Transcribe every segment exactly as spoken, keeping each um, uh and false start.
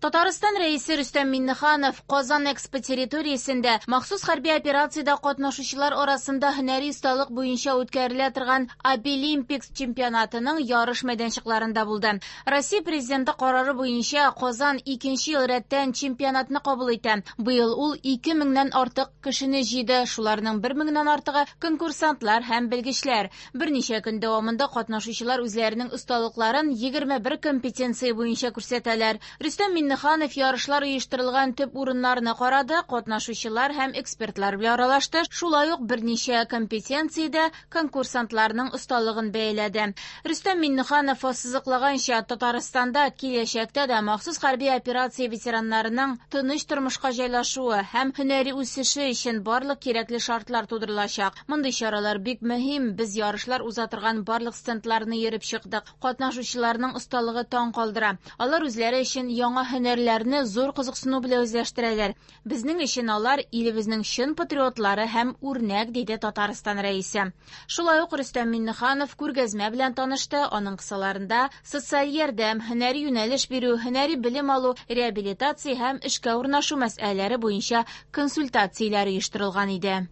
Татарстан Рәисе Рөстәм Миңнеханов Казан Экспо территориясендә махсус хәрби операциядә катнашучылар арасында һөнәри осталык буенча үткәрелә торган Абилимпикс чемпионатының ярыш мәйданчыкларында булды. Россия Президенты карары буенча Казан икенче ел рәттән чемпионатны кабул итә. Быел ул ике меңнән артык кешене җыйды, шуларның бер меңнән артыгы конкурсантлар һәм белгечләр. Берничә көн дәвамында катнашучылар үзләренең осталыкларын егерме бер компетенция буенча күрсәтәләр. Рөстәм Миңнеханов ярышлар оештырылган төп урыннарны карады, катнашучылар һәм экспертлар белән аралашты, шулай ук берничә компетенциядә конкурсантларның осталыгын бәяләде. Рөстәм Миңнеханов ассызыклаганча, Татарстанда киләчәктә дә махсус хәрби операция ветераннарының тыныч тормышка җайлашуы һәм һөнәри үсеше өчен барлык кирәкле шартлар тудырылачак. Мондый чаралар бик мөһим. Без ярышлар уза торган барлык стендларны йөреп чыктык. Катнашучыларның осталыгы таң калдыра. Алар үзләре өчен яңа һөнәрләрне зур кызыксыну белән үзләштерәләр. Безнең өчен алар илебезнең чын патриотлары һәм үрнәк, диде Татарстан Рәисе. Шулай ук Рөстәм Миңнеханов күргәзмә белән танышты. Аның кысаларында социаль ярдәм, һөнәри юнәлеш бирү, һөнәри белем алу, реабилитация һәм эшкә урнашу мәсьәләләре буенча консультацияләр оештырылган иде.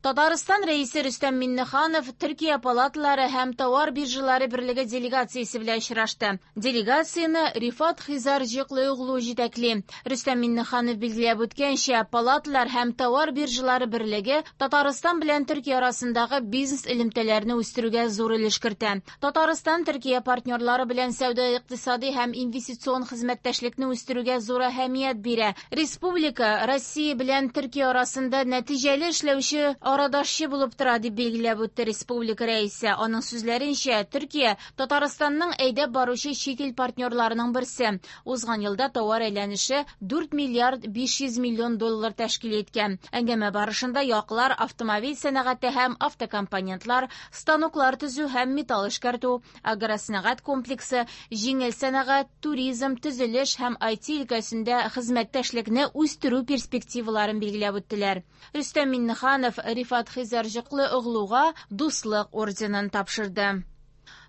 Татарстан Рәисе Рөстәм Миңнеханов Төркия палаталары һәм товар биржалары берлеге делегациясе белән очрашты. Делегацияне Рифат Хизарҗыклыоглу җитәкли. Рөстәм Миңнеханов билгеләп үткәнчә, палаталар һәм товар биржалары берлеге Татарстан белән Төркия арасындагы бизнес элемтәләрне үстерүгә зур өлеш кертә. Татарстан Төркия партнерлары белән сәүдә-икътисади һәм инвестицион хезмәттәшлекне үстерүгә зур әһәмият бирә. Республика Россия белән Төркия арасында нәтиҗәле эшләүче арадашчы булып тора, дип билгеләп үтте республика рәисе. Аның сүзләренчә, Төркия Татарстанның әйдәп баручы чит ил партнерларының берсе. Узган елда товар әйләнеше дүрт миллиард биш йөз миллион доллар тәшкил иткән. Әңгәмә барышында яклар автомобиль сәнәгате һәм автокомпонентлар, станоклар төзү һәм металл эшкәртү, агросәнәгать комплексы, җиңел сәнәгать, туризм, төзелеш һәм ай ти өлкәсендә хезмәттәшлекне үстерү перспективаларын билгеләп үттеләр. Рөстәм Миңнеханов Рифат Хизарҗыклыоглуга Дуслык орденын тапшырды.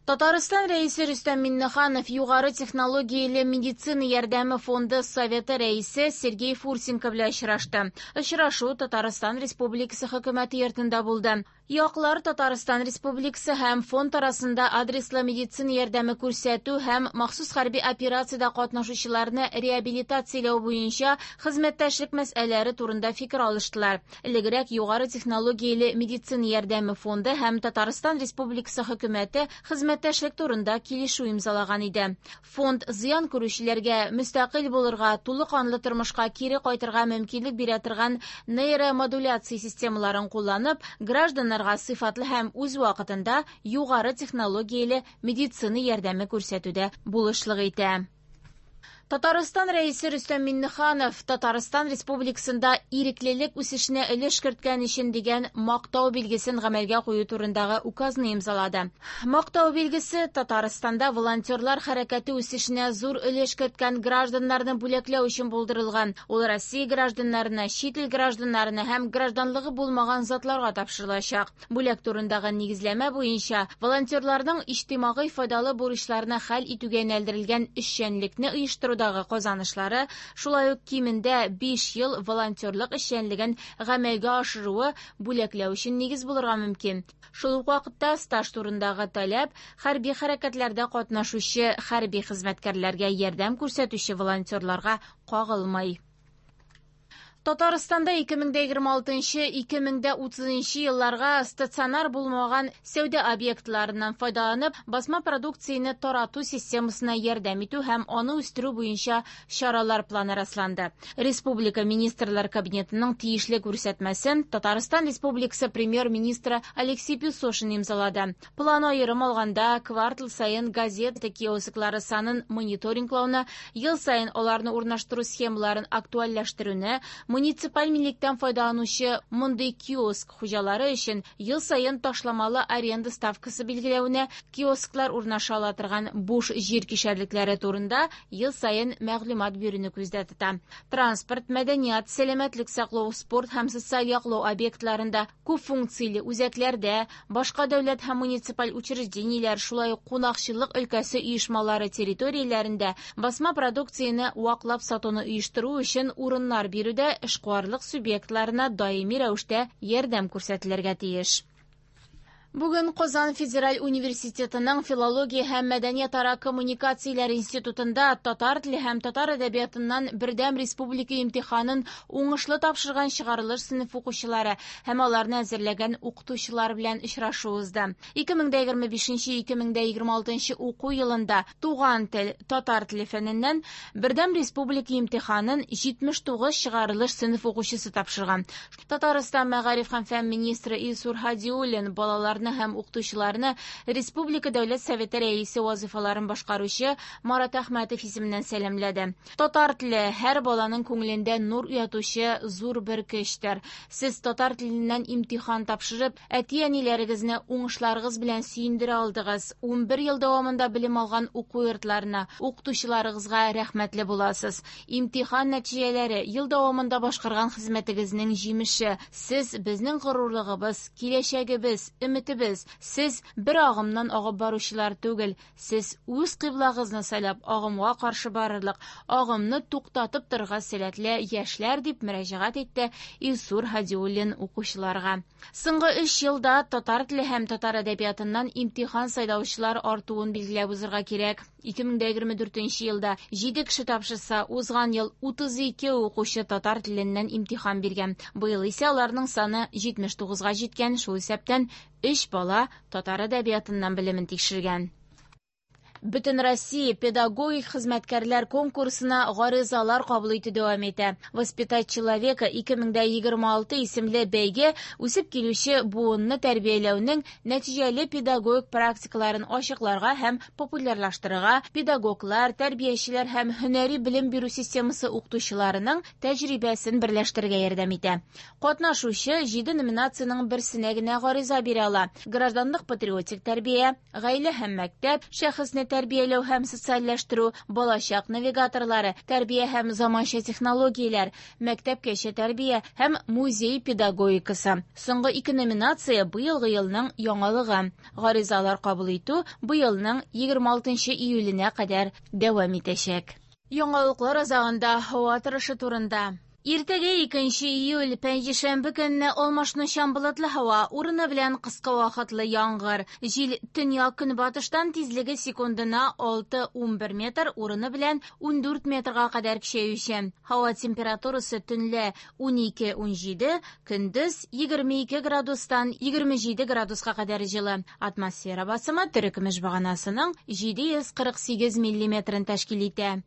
Татарстан Рәисе Рөстәм Миңнеханов Югары технологияле медицина ярдәме фонды Советы рәисе Сергей Фурсенко белән очрашты. Очрашу Татарстан Республикасы хөкүмәте йортында булды. Яклар Татарстан Республикасы һәм фонд арасында адреслы медицина ярдәме күрсәтү һәм махсус хәрби операциядә катнашучыларны реабилитацияләү буенча хезмәттәшлек мәсьәләләре турында фикер алыштылар. Элегрәк Югары технологияле медицина ярдәме фонды һәм Татарстан Республикасы хөкүмәте хезмәттәшлек турында килешү имзалаган иде. Фонд зыян күрүчеләргә мөстәкыйль булырга, тулы канлы тормышка кире кайтырга мөмкинлек бирә торган нейромодуляция системаларын кулланып, гражданнар сыйфатлы һәм үз вакытында югары технологияле медицина ярдәме күрсәтүдә булышлык итә. Татарстан Рәисе Рөстәм Миңнеханов Татарстан Республикасында иреклелек үсешенә өлеш керткән өчен дигән мактау билгесен гамәлгә кую турындагы указны имзалады. Мактау билгесе Татарстанда волонтерлар хәрәкәте үсешенә зур өлеш керткән гражданнарны бүләкләү өчен булдырылган. Ул Россия гражданнарына, чит ил гражданнарына һәм гражданлыгы булмаган затларга тапшырылачак. Бүләк турындагы нигезләмә буенча волонтерларның иҗтимагый файдалы бурычларны хәл итүгә юнәлдерелгән эшчәнлекне оештыру казанышлары, шулай ук кимендә биш ел волонтерлык эшчәнлеген гамәлгә ашыруы бүләкләү өчен нигез булырга мөмкин. Шул ук вакытта стаж турындагы таләп хәрби хәрәкәтләрдә катнашучы хәрби хезмәткәрләргә ярдәм күрсәтүче волонтерларга кагылмый. Татарстанда ике мең дә егерме алтынчы - ике мең дә утызынчы елларга стационар булмаган сәүдә объектларыннан файдаланып, басма продукцияне тарату системасына ярдәм итү һәм аны үстерү буенча чаралар планы расланды. Республика Министрлар Кабинетының тиешле күрсәтмәсен Татарстан Республикасы премьер-министры Алексей Песошин имзалады. План аерым алганда квартал саен газета киосклары санын мониторинглауны, ел саен аларны урнаштыру схемаларын актуальләштерүне, Муниципаль милектән файдаланучы мондый киоск хуҗалары өчен ел саен ташламалы аренда ставкасы билгеләүне, киосклар урнаша ала торган буш җир кишәрлекләре турында ел саен мәгълүмат бирүне күздә тота. Транспорт, мәдәният, сәламәтлек саклау, спорт һәм социаль яклау объектларында, күп функцияле үзәкләрдә, башка дәүләт һәм муниципаль учреждениеләр, шулай ук кунакчыллык өлкәсе оешмалары территорияләрендә басма продукцияне ваклап сатуны оештыру өчен урыннар бирүдә эшкуарлык субъектларына даими рәвештә ярдәм күрсәтелергә тиеш. Бүген Казан федераль университетының филология һәм мәдәниятара коммуникацияләр институтында татар теле һәм татар әдәбиятыннан бердәм республика имтиханын уңышлы тапшырган чыгарылыш сыйныф укучылары һәм аларны әзерләгән укытучылар белән очрашу узды. ике мең егерме бишенче - ике мең егерме алтынчы уку елында туган тел, татар теле фәненнән бердәм республика имтиханын җитмеш тугыз чыгарылыш сыйныф укучысы тапшырган. Татарстан мәгариф һәм фән министры Илсур Һадиуллин балаларны һәм укытучыларны Республика Дәүләт Советы рәисе вазифаларын башкаручы Марат Әхмәтов исеменнән сәламләде. Татар теле һәр баланың күңелендә нур уятучы зур бер көчтер. Сез татар теленнән имтихан тапшырып, әти-әниләрегезне уңышларыгыз белән сөендерә алдыгыз. Унбер ел дәвамында белем алган уку йортларына, укытучыларыгызга рәхмәтле буласыз. Имтихан нәтиҗәләре ел дәвамында башкарган хезмәтегезнең җимеше. Сез безнең горурлыгыбыз, киләчәгебез, өметебез. Сез бер агымнан агып баручылар түгел, сез үз кыйблагызны сайлап агымга каршы барырлык, агымны туктатып торырга сәләтле яшьләр, дип мөрәҗәгать итте Илсур Һадиуллин укучыларга. Соңгы өч елда татар теле һәм татар әдәбиятыннан имтихан сайлаучылар артуын билгеләп узырга кирәк. ике мең егерме дүртенче елда җиде кеше тапшырса, узган ел утыз ике укучы татар теленнән имтихан биргән. Быел исә аларның саны җитмеш тугызга җиткән, шул исәптән өч бала татар әдәбиятыннан белемен тикшергән. Бөтен Россия педагогик хезмәткәрләр конкурсына гаризалар кабул итү дәвам итә. Воспитать человека ике мең егерме алты исемле бәйге үсеп килүче буынны тәрбияләүнең нәтиҗәле педагогик практикаларын ачыкларга һәм популярлаштырырга, педагоглар, тәрбиячеләр һәм һөнәри белем бирү системасы укытучыларының тәҗрибәсен берләштерергә ярдәм итә. Катнашучы җиде номинациянең берсенә генә гариза бирә ала. Гражданлык патриотик тәрбия, гаилә һәм мәктәп, шәхесне тәрбияләү һәм социальләштерү, балачак навигаторлары, тәрбия һәм заманча технологияләр, мәктәпкәчә тәрбия һәм музей педагогикасы. Соңгы ике номинация быелгы елның яңалыгы. Гаризалар кабул итү быелның егерме алтынчы июленә кадәр дәвам итәчәк. Яңалыклар азагында һава торышы турында. Иртәгә икенче июль пәнҗешәмбе көнне алмашынучан болытлы һава, урыны белән кыска вакытлы яңгыр. Җил төньяк көнбатыштан тизлеге секундына алты унбер метр, урыны белән ундүрт метрга кадәр көчәюче. Һава температурасы төнлә унике унҗиде, көндез егерме ике градустан егерме җиде градуска кадәр җылы. Атмосфера басымы терекөмеш баганасының җиде йөз кырык сигез миллиметрын тәшкил итә.